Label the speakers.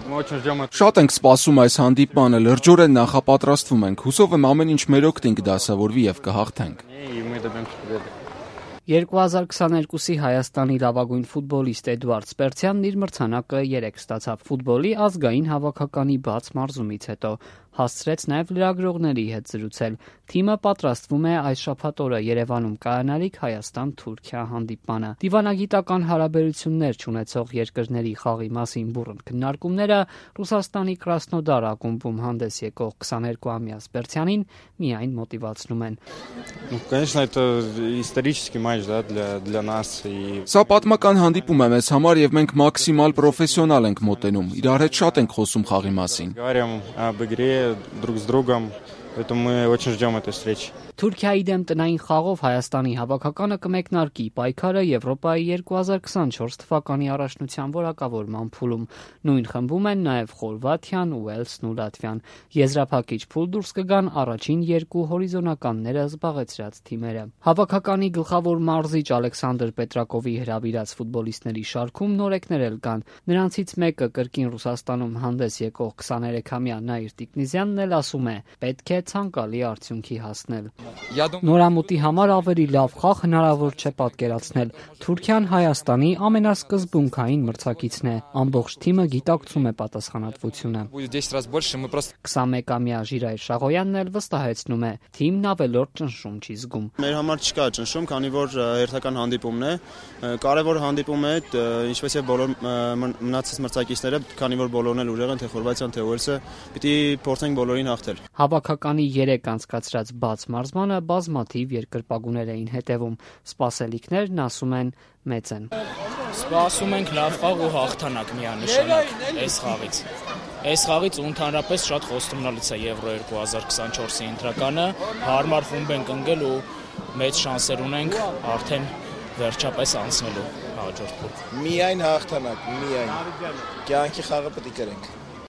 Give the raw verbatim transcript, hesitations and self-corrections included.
Speaker 1: Շատ ենք սպասում այս հանդիպմանը, լրջորեն նախապատրաստվում ենք, հուսով եմ ամեն ինչ մեր օգտին կդասավորվի և կհաղթենք։
Speaker 2: երկու հազար քսաներկուսի Հայաստանի լավագույն ֆուտբոլիստ Էդուարդ Սպերցյանն իր մրցանակը երեկ ստացավ ֆուտբոլի ազգային հավաքականի բաց մարզումից հետո, հասցրեց նաև լրագրողների հետ զրուցել։ Թիմը պատրաստվում է այս շաբաթ օրը Երևանում կայանալիք Հայաստան-Թուրքիա հանդիպմանը։ Դիվանագիտական հարաբերություններ չունեցող երկրների խաղի մասին բուռն քննարկումները Ռուսաստանի Կրասնոդար ակումբում հանդես եկող քսաներկուամյա Սպերցյանին միայն մոտիվացնում են։
Speaker 1: Սա պատմական հանդիպում է մեզ համար և մենք մաքսիմալ պրոֆեսիոնալ ենք մոտենում, իրար հետ շատ ենք խոսում խաղի մասին։
Speaker 3: Друг с другом, поэтому мы очень ждем этой встречи.
Speaker 2: Թուրքիայի դեմ տնային խաղով Հայաստանի հավաքականը կմեկնարկի պայքարը Եվրոպայի երկու հազար քսանչորս թվականի առաջնության որակավորման փուլում։ Նույն խմբում են նաև Խորվաթիան, Ուելսն ու Լատվիան։ Եզրափակիչ փուլ դուրս կգան առաջին երկու հորիզոնականները զբաղեցրած թիմերը։ Հավաքականի գլխավոր մարզիչ Ալեքսանդր Պետրակովի հրավիրած ֆուտբոլիստների շարքում նորեկներ էլ կան։ Նրանցից մեկը կրկին Ռուսաստանում հանդես եկող քսաներեքամյա Նաիր Տիկնիզյանն էլ ասում է՝ պետք է ցանկալի արդյունքի հասնել։ Նորամուտի համար ավելի լավ խաղ հնարավոր չէ պատկերացնել։ Թուրքիան Հայաստանի ամենասկզբունքային մրցակիցն է։ Ամբողջ թիմը գիտակցում է պատասխանատվությունը։ քսանմեկամյա Ժիրայր Շաղոյանն էլ վստահեցնում է՝ թիմն ավելորդ ճնշում չի զգում։
Speaker 4: Մեր համար չկա ճնշում, քանի որ հերթական հանդիպումն է, կարևոր հանդիպում է, ինչպես եւ բոլոր մնացած մրցակիցները, քանի որ բոլորն էլ ուժեղ են, թե Խորվաթիան, թե Ուելսը, պիտի փորձենք բոլորին հաղթել։
Speaker 2: Հավաքականի երեք անցկացրած բաց մարզմանը բազմաթիվ երկրպագուներ էին հետևում։ Սպասելիքներն ասում են մեծ են։
Speaker 5: Սպասում ենք լավ խաղ ու հաղթանակ միանշանակ այս խաղից։ Այս խաղից ու ընդհանրապես շատ խոստումնալից է Եվրո երկու հազար քսանչորսի ընտրականը, հարմար խումբ ենք ընկել ու մեծ շանսեր ունենք արդեն վերջապես անցնելու հաջորդ փուլ։
Speaker 6: Միայն հաղթանակ, միայն։ Կյանքի խաղը պետք է կրենք։